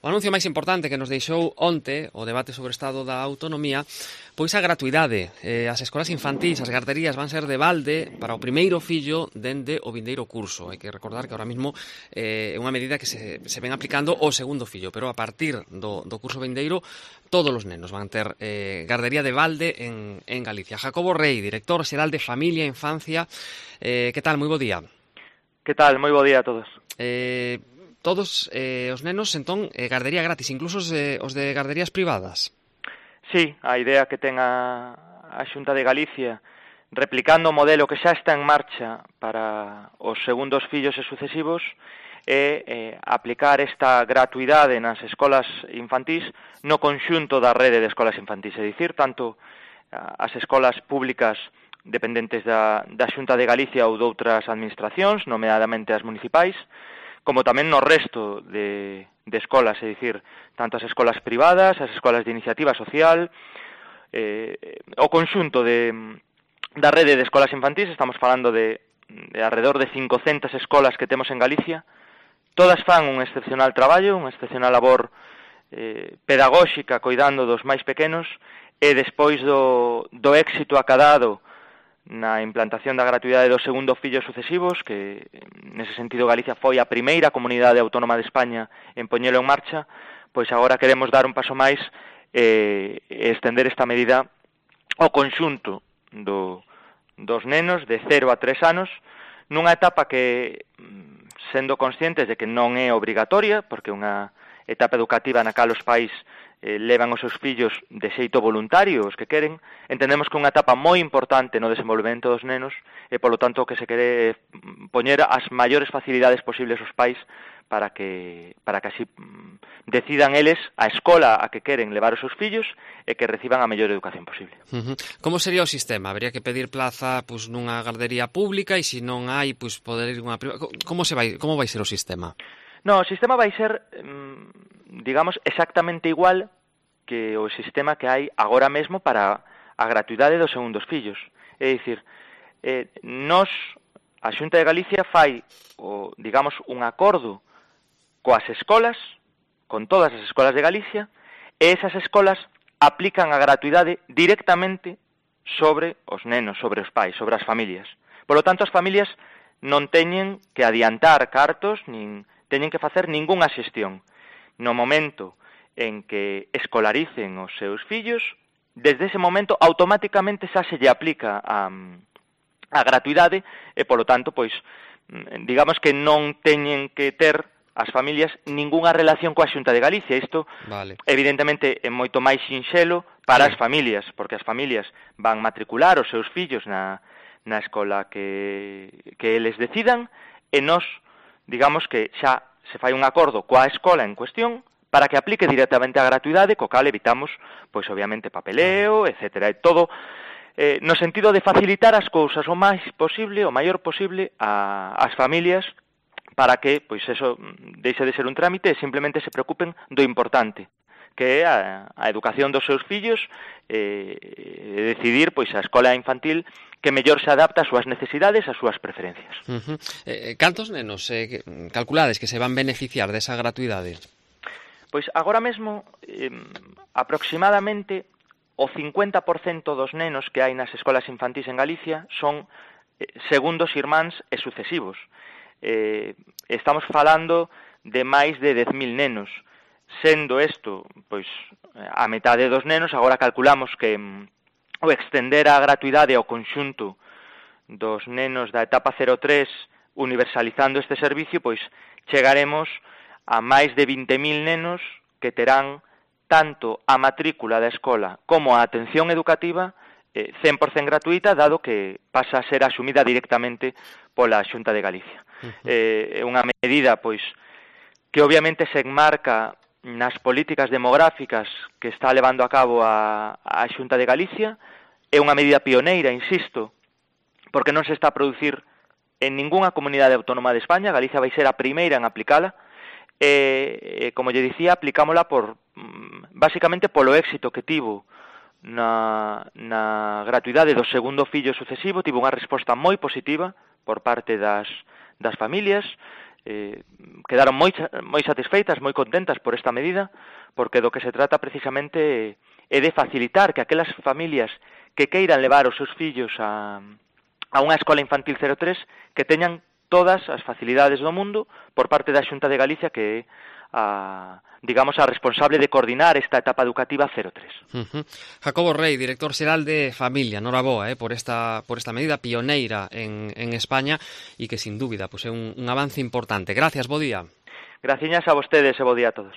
O anuncio máis importante que nos deixou onte o debate sobre o estado da autonomía, pois a gratuidade. As escolas infantís, as garderías van ser de balde para o primeiro fillo dende o vindeiro curso. Hai que recordar que ahora mismo é unha medida que se ven aplicando o segundo fillo, pero a partir do curso vindeiro todos os nenos van ter gardería de balde en Galicia. Jacobo Rei, director xeral de Familia e Infancia, que tal? Moi bo día. Que tal? Moi bo día a todos. Todos os nenos, entón, gardería gratis, incluso os de garderías privadas. Sí, a idea que ten a Xunta de Galicia, replicando o modelo que xa está en marcha para os segundos fillos e sucesivos, é aplicar esta gratuidade nas escolas infantís no conxunto da rede de escolas infantís, é dicir, tanto as escolas públicas dependentes da Xunta de Galicia ou doutras administracións, nomeadamente as municipais, como tamén no resto de escolas, é dicir, tanto as escolas privadas, as escolas de iniciativa social, o conxunto da rede de escolas infantís, estamos falando de alrededor de 500 escolas que temos en Galicia, todas fan un excepcional traballo, unha excepcional labor pedagóxica coidando dos máis pequenos, e despois do éxito acadado na implantación da gratuidade dos segundo fillos sucesivos, que nese sentido Galicia foi a primeira comunidade autónoma de España en poñelo en marcha, pois agora queremos dar un paso máis e estender esta medida ao conxunto dos nenos de 0 a 3 anos, nunha etapa que, sendo conscientes de que non é obrigatoria, porque é unha etapa educativa na cal os pais levan os seus fillos de xeito voluntario, os que queren, entendemos que é unha etapa moi importante no desenvolvemento dos nenos e, polo tanto, que se quere poñer as maiores facilidades posibles aos pais para que así decidan eles a escola a que queren levar os seus fillos e que reciban a mellor educación posible. Como sería o sistema? Habría que pedir plaza nunha gardería pública e se non hai, poder ir unha privada? Como vai ser o sistema? No, o sistema vai ser, digamos, exactamente igual que o sistema que hai agora mesmo para a gratuidade dos segundos fillos. É dicir, a Xunta de Galicia fai, digamos, un acordo coas escolas, con todas as escolas de Galicia, e esas escolas aplican a gratuidade directamente sobre os nenos, sobre os pais, sobre as familias. Por lo tanto, as familias non teñen que adiantar cartos, nin teñen que facer ningunha xestión. No momento en que escolaricen os seus fillos, desde ese momento automáticamente xa se lle aplica a gratuidade e, polo tanto, digamos que non teñen que ter as familias ningunha relación coa Xunta de Galicia. Isto, evidentemente, é moito máis sinxelo para as familias, porque as familias van matricular os seus fillos na escola que eles decidan, e nós, digamos que xa se fai un acordo coa escola en cuestión para que aplique directamente a gratuidade, co cal evitamos, obviamente, papeleo, etcétera, e todo no sentido de facilitar as cousas o máis posible, o maior posible ás familias, para que, eso deixe de ser un trámite e simplemente se preocupen do importante, que é a educación dos seus fillos, decidir, a escola infantil que mellor se adapta ás súas necesidades, ás súas preferencias. Cantos nenos calculades que se van beneficiar desa gratuidade? Pois agora mesmo, aproximadamente o 50% dos nenos que hai nas escolas infantís en Galicia son segundos irmáns e sucesivos. Estamos falando de máis de 10.000 nenos. Sendo isto, a metade dos nenos, agora calculamos que o extender a gratuidade ao conxunto dos nenos da etapa 03 universalizando este servicio, chegaremos a máis de 20.000 nenos que terán tanto a matrícula da escola como a atención educativa 100% gratuita, dado que pasa a ser asumida directamente pola Xunta de Galicia. É unha medida, que obviamente se enmarca nas políticas demográficas que está levando a cabo a Xunta de Galicia. É unha medida pioneira, insisto, porque non se está a producir en ningunha comunidade autónoma de España. Galicia vai ser a primeira en aplicala, e, como lle dicía, aplicámola basicamente polo éxito que tivo na gratuidade do segundo fillo sucesivo. Tivo unha resposta moi positiva por parte das familias, quedaron moi satisfeitas, moi contentas por esta medida, porque do que se trata precisamente é de facilitar que aquelas familias que queiran levar os seus fillos a unha escola infantil 03 que teñan todas as facilidades do mundo por parte da Xunta de Galicia, que é a responsable de coordinar esta etapa educativa 03. Jacobo Rey, director xeral de Familia, noraboa por esta medida pioneira en España e que, sin dúbida, é un avance importante. Gracias, bo día. Graciñas a vostedes e bo día a todos.